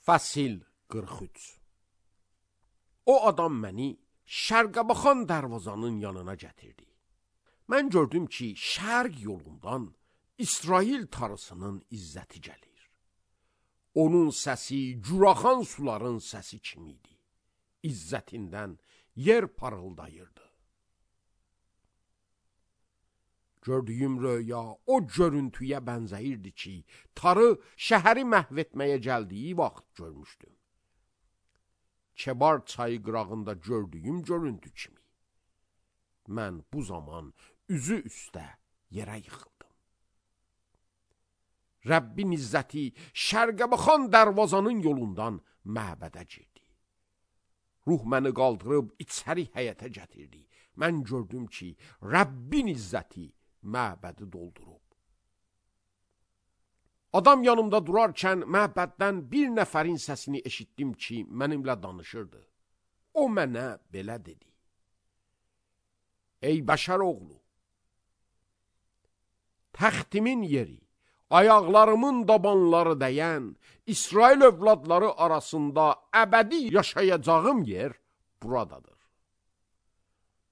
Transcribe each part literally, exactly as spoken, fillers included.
Fəsil qırx üç. O adam məni şərqə baxan dərvazanın yanına gətirdi. Mən gördüm ki, şərq yolundan İsrail tarısının izzəti gəlir. Onun səsi curaxan suların səsi kimi idi. İzzətindən yer parıldayırdı. Gördüyüm röya o görüntüyə bənzəyirdi ki, tarı şəhəri məhv etməyə gəldiyi vaxt görmüşdüm. Kebar çayı qırağında gördüyüm görüntü kimi. Mən bu zaman üzü üstə yerə yıxıldım. Rəbbin izzəti şərqə baxan dərvazanın yolundan məbədə girdi. Ruh məni qaldırıb içəri həyətə gətirdi. Mən gördüm ki, Rəbbin izzəti məbədi doldurub. Adam yanımda durarkən məbəddən bir nəfərin səsini eşitdim ki, mənimlə danışırdı. O mənə belə dedi: Ey bəşər oğlu, təxtimin yeri, ayaqlarımın dabanları dəyən İsrail övladları arasında əbədi yaşayacağım yer buradadır.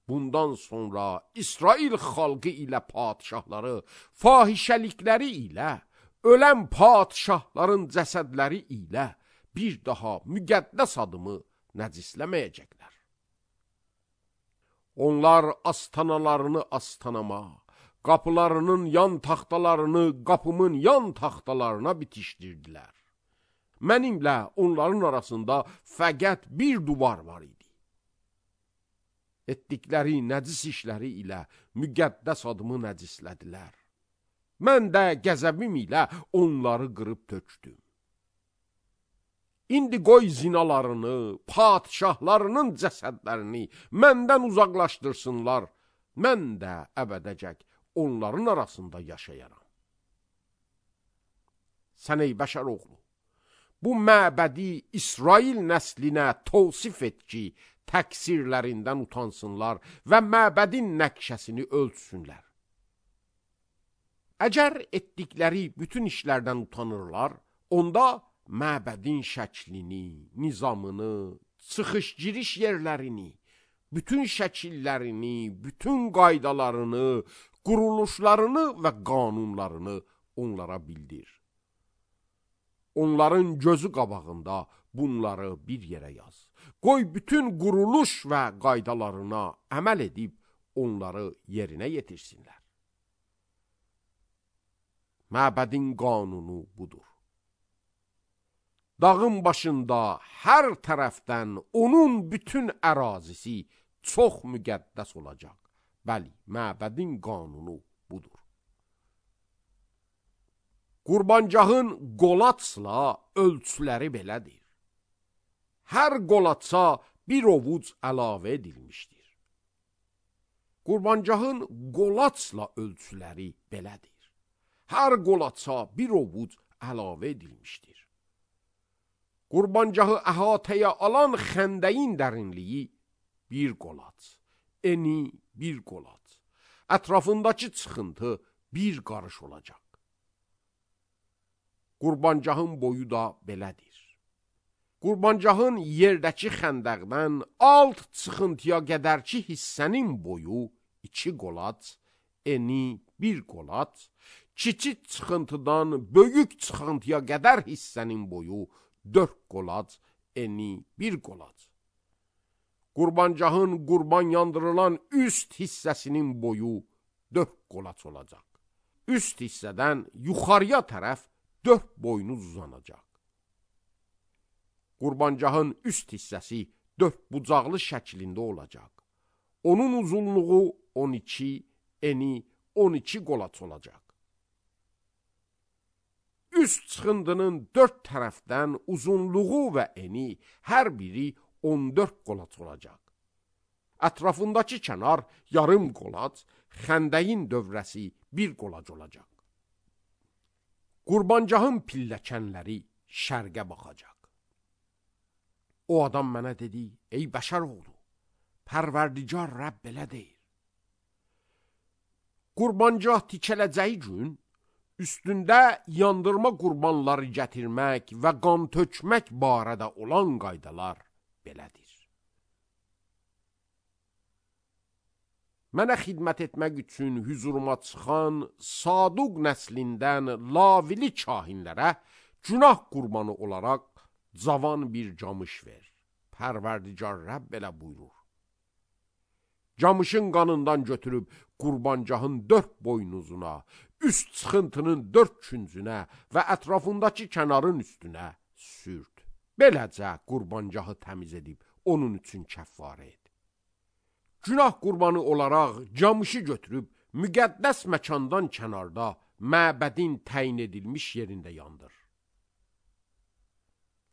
Bundan sonra İsrail xalqı ilə padişahları fahişəlikləri ilə, ölən padişahların cəsədləri ilə bir daha müqəddəs adımı nəcisləməyəcəklər. Onlar astanalarını astanama, qapılarının yan taxtalarını qapımın yan taxtalarına bitişdirdilər. Mənimlə onların arasında fəqət bir duvar var idi. Etdikləri nəcis işləri ilə müqəddəs adımı nəcislədilər. Mən də qəzəbim ilə onları qırıb tökdüm. İndi qoy zinalarını, padişahlarının cəsədlərini məndən uzaqlaşdırsınlar. Mən də əbədəcək onların arasında yaşayaram. Sən ey bəşər oğlu, bu məbədi İsrail nəslinə tavsif et ki, təqsirlərindən utansınlar və məbədin nəqşəsini ölçsünlər. Əgər etdikləri bütün işlərdən utanırlar, onda məbədin şəklini, nizamını, çıxış-giriş yerlərini, bütün şəkillərini, bütün qaydalarını, quruluşlarını və qanunlarını onlara bildir. Onların gözü qabağında bunları bir yerə yaz. Qoy bütün quruluş və qaydalarına əməl edib onları yerinə yetirsinlər. Məbədin qanunu budur. Dağın başında hər tərəfdən onun bütün ərazisi çox müqəddəs olacaq. Bəli, məbədin qanunu budur. Qurbancağın qolaçla ölçüləri belədir. Hər qolaça bir ovuc əlavə edilmişdir. Qurbancağın qolaçla ölçüləri belədir. Hər qolaça bir ovuc əlavə edilmişdir. Qurbancağı əhatəyə alan xəndəyin dərinliyi bir qolaç, eni bir qolaç, ətrafındakı çıxıntı bir qarış olacaq. Qurbancağın boyu da belədir. Qurbancağın yerdəki xəndəqdən alt çıxıntıya qədərki hissənin boyu iki qolaç, eni bir qolaç, kiçik çıxıntıdan böyük çıxıntıya qədər hissənin boyu dörd qolaç, eni bir qolaç. Qurbancağın qurban yandırılan üst hissəsinin boyu dörd qolaç olacaq. Üst hissədən yuxarıya tərəf dörd boynuz uzanacaq. Qurbancağın üst hissəsi dörd bucaqlı şəklində olacaq. Onun uzunluğu on iki, eni on iki qolaç olacaq. Üst çıxındının dörd tərəfdən uzunluğu və eni hər biri on dörd qolaç olacaq. Ətrafındakı kənar yarım qolaç, xəndəyin dövrəsi bir qolac olacaq. Qurbancağın pilləkənləri şərqə baxacaq. O adam mənə dedi: Ey bəşər oğlu, Pərverdigar Rəbb belə deyir. Qurbancaq tikələcəyi gün üstündə yandırma qurbanları gətirmək və qan tökmək barədə olan qaydalar belədir. Mənə xidmət etmək üçün hüzuruma çıxan Saduq nəslindən lavili kahinlərə günah qurbanı olaraq cavan bir camış ver. Pərverdigar Rəbb belə buyurur. Camışın qanından götürüb qurbancahın dörd boynuzuna, üst çıxıntının dörd küncünə və ətrafındakı kənarın üstünə sürt. Beləcə qurbancahı təmiz edib onun üçün kəffarə et. Günah qurbanı olaraq camışı götürüb müqəddəs məkandan kənarda məbədin təyin edilmiş yerində yandır.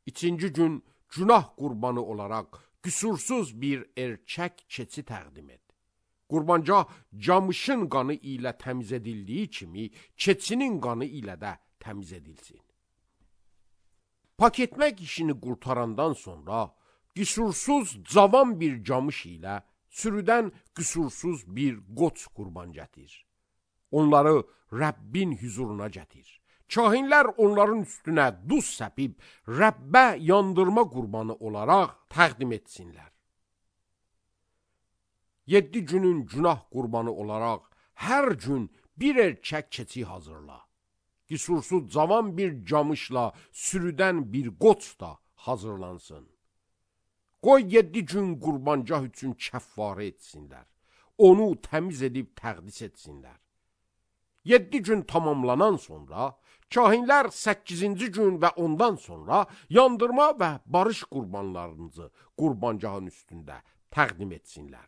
İkinci gün günah qurbanı olaraq qüsursuz bir erkək keçi təqdim et. Qurbancah camışın qanı ilə təmiz edildiyi kimi keçinin qanı ilə də təmiz edilsin. Pak etmək işini qurtarandan sonra qüsursuz cavan bir camış ilə sürüdən qüsursuz bir qoç qurban gətir. Onları Rəbbin hüzuruna gətir. Kahinlər onların üstünə duz səpib Rəbbə yandırma qurbanı olaraq təqdim etsinlər. Yeddi günün günah qurbanı olaraq hər gün bir erkək keçi hazırla. Qüsursuz cavan bir camışla sürüdən bir qoç da hazırlansın. Qoy yeddi gün qurbancah üçün kəffarə etsinlər. Onu təmiz edib təqdis etsinlər. Yeddi gün tamamlanan sonra, kahinlər səkkizinci gün və ondan sonra yandırma və barış qurbanlarınızı qurbancahın üstündə təqdim etsinlər.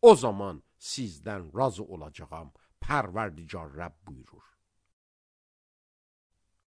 O zaman sizdən razı olacağam, Pərverdigar Rəbb buyurur.